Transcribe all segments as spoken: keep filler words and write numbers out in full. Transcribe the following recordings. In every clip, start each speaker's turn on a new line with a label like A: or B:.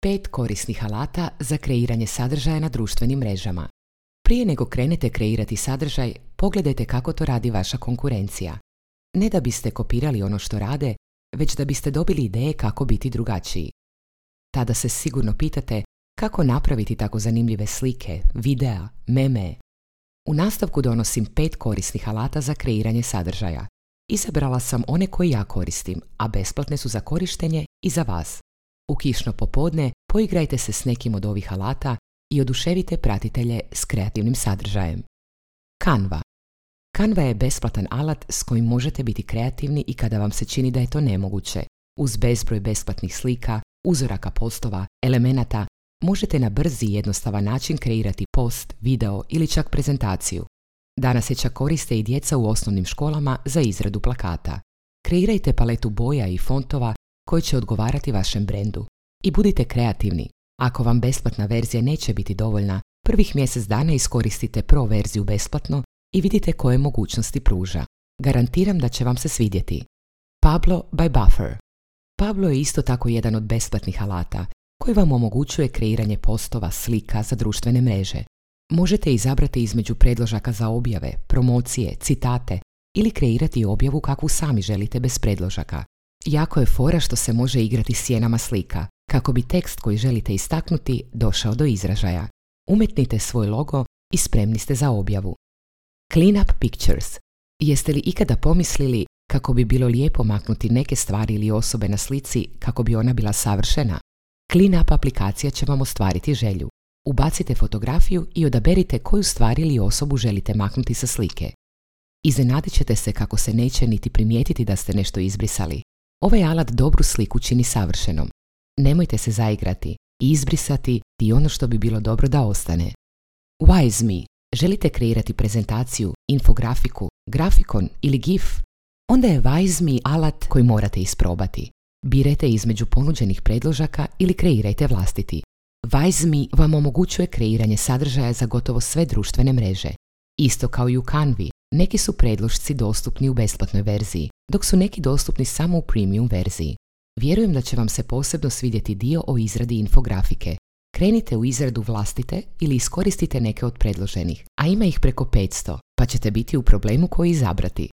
A: Pet korisnih alata za kreiranje sadržaja na društvenim mrežama. Prije nego krenete kreirati sadržaj, pogledajte kako to radi vaša konkurencija. Ne da biste kopirali ono što rade, već da biste dobili ideje kako biti drugačiji. Tada se sigurno pitate kako napraviti tako zanimljive slike, videa, meme. U nastavku donosim pet korisnih alata za kreiranje sadržaja. Izabrala sam one koje ja koristim, a besplatne su za korištenje i za vas. U kišno popodne poigrajte se s nekim od ovih alata i oduševite pratitelje s kreativnim sadržajem. Canva. Canva je besplatan alat s kojim možete biti kreativni i kada vam se čini da je to nemoguće. Uz bezbroj besplatnih slika, uzoraka postova, elemenata, možete na brzi i jednostavan način kreirati post, video ili čak prezentaciju. Danas je čak koriste i djeca u osnovnim školama za izradu plakata. Kreirajte paletu boja i fontova koji će odgovarati vašem brendu. I budite kreativni. Ako vam besplatna verzija neće biti dovoljna, prvih mjesec dana iskoristite pro verziju besplatno i vidite koje mogućnosti pruža. Garantiram da će vam se svidjeti. Pablo by Buffer. Pablo je isto tako jedan od besplatnih alata koji vam omogućuje kreiranje postova, slika za društvene mreže. Možete izabrati između predložaka za objave, promocije, citate ili kreirati objavu kakvu sami želite bez predložaka. Jako je fora što se može igrati s sjenama slika, kako bi tekst koji želite istaknuti došao do izražaja. Umetnite svoj logo i spremni ste za objavu. Clean up pictures. Jeste li ikada pomislili kako bi bilo lijepo maknuti neke stvari ili osobe na slici kako bi ona bila savršena? Clean up aplikacija će vam ostvariti želju. Ubacite fotografiju i odaberite koju stvar ili osobu želite maknuti sa slike. Iznenadit ćete se kako se neće niti primijetiti da ste nešto izbrisali. Ovaj alat dobru sliku čini savršenom. Nemojte se zaigrati i izbrisati i ono što bi bilo dobro da ostane. Wise Me. Želite kreirati prezentaciju, infografiku, grafikon ili gif? Onda je Wise Me alat koji morate isprobati. Birajte između ponuđenih predložaka ili kreirajte vlastiti. Wise Me vam omogućuje kreiranje sadržaja za gotovo sve društvene mreže. Isto kao i u Canvi, neki su predlošci dostupni u besplatnoj verziji, dok su neki dostupni samo u premium verziji. Vjerujem da će vam se posebno svidjeti dio o izradi infografike. Krenite u izradu vlastite ili iskoristite neke od predloženih, a ima ih preko petsto, pa ćete biti u problemu koji izabrati.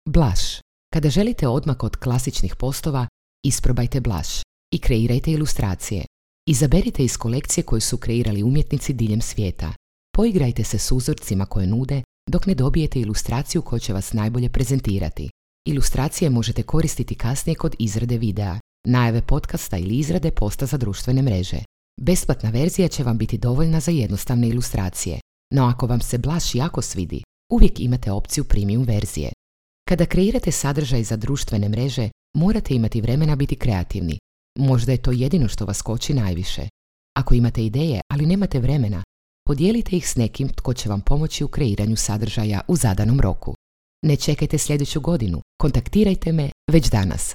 A: Blush. Kada želite odmak od klasičnih postova, isprobajte Blush i kreirajte ilustracije. Izaberite iz kolekcije koju su kreirali umjetnici diljem svijeta. Poigrajte se s uzorcima koje nude dok ne dobijete ilustraciju koja će vas najbolje prezentirati. Ilustracije možete koristiti kasnije kod izrade videa, najave podcasta ili izrade posta za društvene mreže. Besplatna verzija će vam biti dovoljna za jednostavne ilustracije, no ako vam se Blush jako svidi, uvijek imate opciju premium verzije. Kada kreirate sadržaj za društvene mreže, morate imati vremena biti kreativni. Možda je to jedino što vas koči najviše. Ako imate ideje, ali nemate vremena, podijelite ih s nekim tko će vam pomoći u kreiranju sadržaja u zadanom roku. Ne čekajte sljedeću godinu, kontaktirajte me već danas.